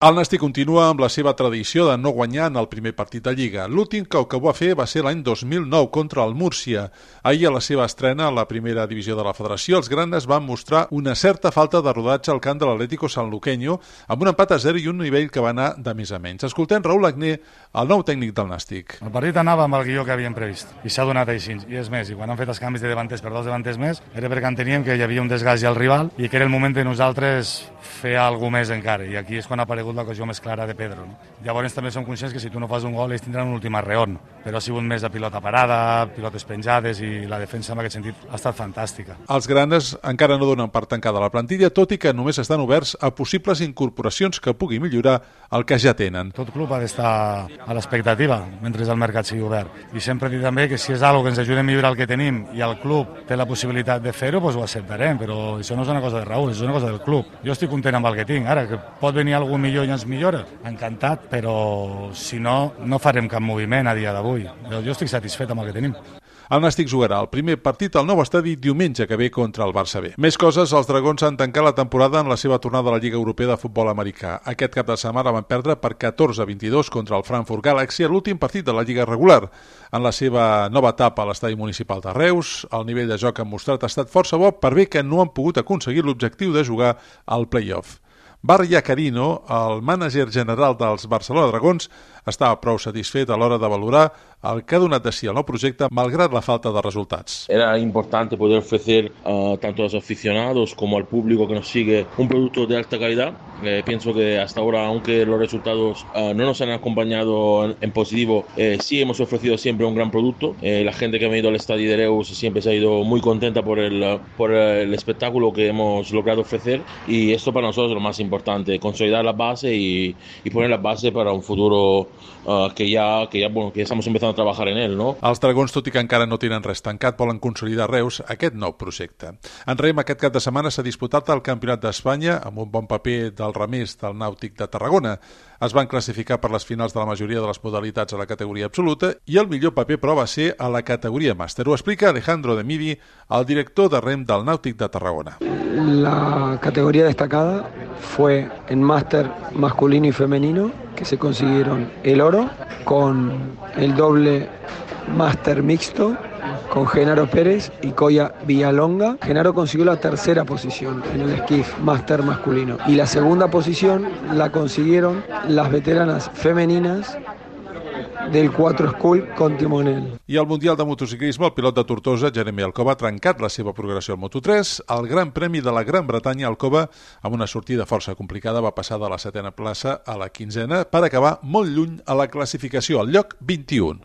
El Nàstic continua amb la seva tradició de no guanyar en el primer partit de Lliga. L'últim que ho va fer va ser l'any 2009 contra el Múrcia. Ahir, a la seva estrena a la primera divisió de la Federació, els granes van mostrar una certa falta de rodatge al camp de l'Atlético Sanluqueño, amb un empat a 0 i un nivell que va anar de més a menys. Escoltem Raúl Agné, el nou tècnic del Nàstic. El partit anava amb el guió que havíem previst i s'ha donat així. I és més, i quan han fet els canvis de davanters per dos davanters més, era perquè enteníem que hi havia un desgast al rival i que era el moment de nosaltres fer alguna més encara. I aquí és quan ha aparegut l'ocasió més clara de Pedro. No? Llavors també som conscients que si tu no fas un gol ells tindran un últim arreon, però ha sigut més de pilota parada, pilotes penjades i la defensa en aquest sentit ha estat fantàstica. Els granes encara no donen per tancada la plantilla, tot i que només estan oberts a possibles incorporacions que pugui millorar el que ja tenen. Tot club ha d'estar a l'expectativa mentre el mercat sigui obert. I sempre dic també que si és algo que ens ajuda a millorar el que tenim i el club té la possibilitat de fer-ho, doncs ho acceptarem, però això no és una cosa de Raúl, és una cosa del club. Jo estic content amb el que tinc. Ara, que pot venir algú millor i ens millora, encantat, però si no, no farem cap moviment a dia d'avui. Jo estic satisfet amb el que tenim. El Nàstic jugarà el primer partit al nou estadi diumenge que ve contra el Barça B. Més coses, els dragons han tancat la temporada en la seva tornada a la Lliga Europea de Futbol Americà. Aquest cap de setmana van perdre per 14-22 contra el Frankfurt Galaxy a l'últim partit de la Lliga regular. En la seva nova etapa a l'estadi municipal de Reus, el nivell de joc que han mostrat ha estat força bo per bé que no han pogut aconseguir l'objectiu de jugar al play-off. Barria Carino, el mànager general dels Barcelona Dragons, estava prou satisfet a l'hora de valorar el que ha donat de sí el nou projecte malgrat la falta de resultats. Era importante poder ofrecer tanto a los aficionados como al público que nos sigue un producto de alta calidad. Pienso que hasta ahora, aunque los resultados no nos han acompañado en positivo, sí hemos ofrecido siempre un gran producto. La gente que ha venido al estadio de Reus siempre se ha ido muy contenta por el espectáculo que hemos logrado ofrecer, y esto para nosotros es lo más importante, consolidar la base y poner la base para un futuro que ya estamos empezando a trabajar en él, no? Els dragons, tot i que encara no tenen res tancat, volen consolidar a Reus aquest nou projecte. En rem, aquest cap de setmana s'ha disputat el Campionat d'Espanya amb un bon paper del remés del Nàutic de Tarragona. Es van classificar per les finals de la majoria de les modalitats a la categoria absoluta i el millor paper, però, va ser a la categoria màster. Ho explica Alejandro de Midi, el director de rem del Nàutic de Tarragona. La categoría destacada fue en máster masculino y femenino, que se consiguieron el oro con el doble máster mixto con Genaro Pérez y Coya Villalonga. Genaro consiguió la tercera posición en el esquif máster masculino y la segunda posición la consiguieron las veteranas femeninas del 4 School con timonel. I al Mundial de Motociclisme, el pilot de Tortosa, Jeremy Alcoba, ha trencat la seva progressió al Moto3. El Gran Premi de la Gran Bretanya, Alcoba, amb una sortida força complicada, va passar de la 7a plaça a la 15a per acabar molt lluny a la classificació, al lloc 21.